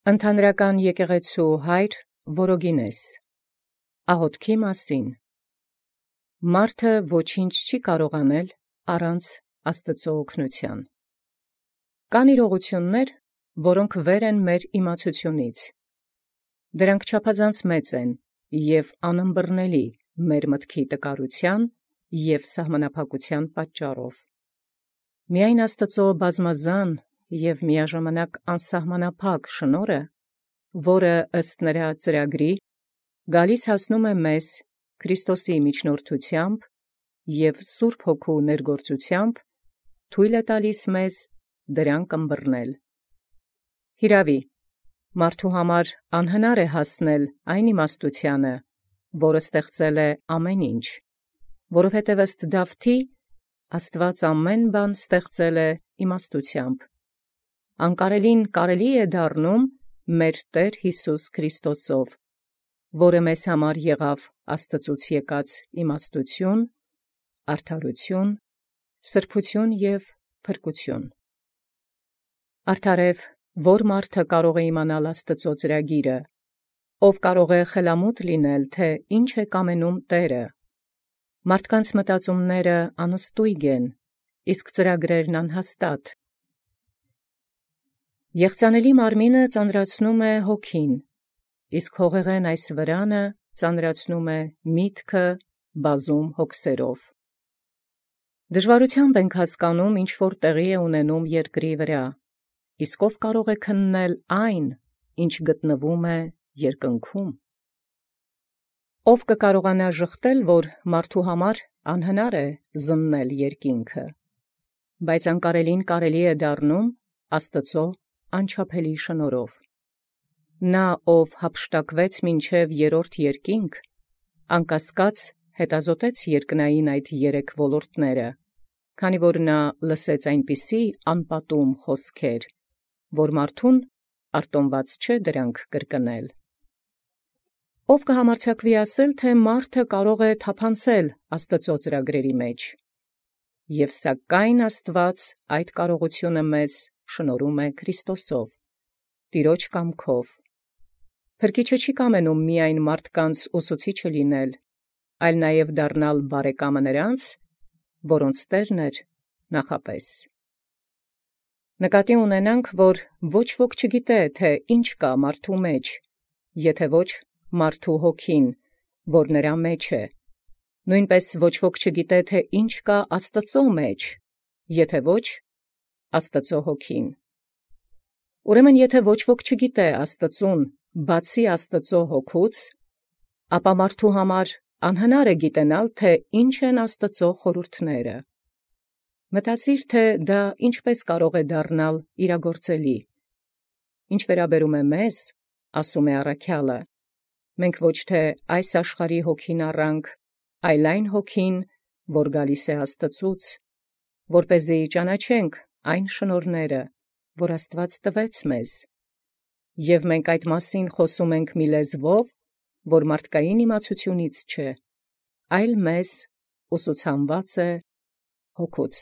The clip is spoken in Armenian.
Ընդհանրական եկեղեցու հայր Որոգինես աղոթքի մասին մարդը ոչինչ չի կարող անել առանց Աստծո օգնության։ Կան իրողություններ, որոնք վեր են մեր իմացությունից։ Դրանք չափազանց մեծ են և անըմբռնելի մեր մտքի տկարության և սահմանափակության պատճառով։ Միայն Աստծո բազմազան և միաժամանակ անսահմանափակ շնորհը, որը ըստ նրա ծրագրի գալիս հասնում է մեզ Քրիստոսի միջնորդությամբ և Սուրբ Հոգու ներգործությամբ, թույլ է տալիս մեզ դրանք ըմբռնել։ Հիրավի, մարդու համար անհնար է հասնել այն իմաստությանը, որը ստեղծել է ամեն ինչ, որովհետև ըստ Դավթի, Աստված ամեն բան ստեղծել է իմաստությամբ։ Անկարելին կարելի է դառնում մեր Տեր Հիսուս Քրիստոսով, որը մեզ համար եղավ Աստծուց եկած իմաստություն, արդարություն, սրբություն և փրկություն։ Արդարև, որ մարդը կարող է իմանալ Աստծո ծրագիրը, ով կարող է խելամուտ լինել, թե ինչ է կամենում Տերը։ Մարդկանց մտածումները անըստույգ են, իսկ ծրագրերն անհաստատ։ Եղծանելի մարմինը ծանրացնում է հոգին, իսկ հողեղեն այս վրանը ծանրացնում է միտքը բազում հոգսերով։ Դժվարությամբ ենք հասկանում, ինչ որ տեղի է ունենում երկրի վրա, իսկ ով կարող է քննել այն, ինչ գտնվում է երկնքում։ Ով կկարողանա ժխտել, որ մարդու համար անհնար է զննել երկինքը, բայց անկարելին կարելի է դառնում Աստծո անչափելի շնորհով։ Նա, ով հափշտակվեց մինչև երրորդ երկինք, անկասկած հետազոտեց երկնային այդ երեք ոլորտները, քանի որ նա լսեց այնպիսի անպատում խոսքեր, որ մարդուն արտոնված չէ դրանք կրկնել։ Ով կհամարձակվի ասել, թե մարդը կարող է թափանցել Աստծո ծրագրերի մեջ, և սակայն Աստված այդ կարողությունը մեզ շնորհում է Քրիստոսով, Տիրոջ կամքով։ Փրկիչը չի կամենում միայն մարդկանց ուսուցիչը լինել, այլ նաև դառնալ բարեկամը նրանց, որոնց Տերն էր նախապես։ Նկատի ունենանք, որ ոչ ոք չգիտե, թե ինչ կա մարդու մեջ, եթե ոչ մարդու հոգին, որ նրա մեջ է, նույնպես ոչ ոք չգիտե, թե ինչ կա Աստծո մեջ, եթե ոչ Աստծո հոգին։ Ուրեմն եթե ոչ ոք չգիտե Աստծուն, բացի Աստծո հոգուց, ապա մարդու համար անհնար է գիտենալ, թե ինչ են Աստծո խորհուրդները։ Մտածիր, թե դա ինչպես կարող է դառնալ իրագործելի։ Ինչ վերաբերում է մեզ, ասում է առաքյալը, մենք ոչ թե այս աշխարհի հոգին առանք, այլ այն հոգին, որ գալիս է Աստծուց, որպեսզի ճանաչենք այն շնորհները, որ Աստված տվեց մեզ, և մենք այդ մասին խոսում ենք մի լեզվով, որ մարդկային իմացությունից չէ, այլ մեզ ուսուցանված է հոգուց։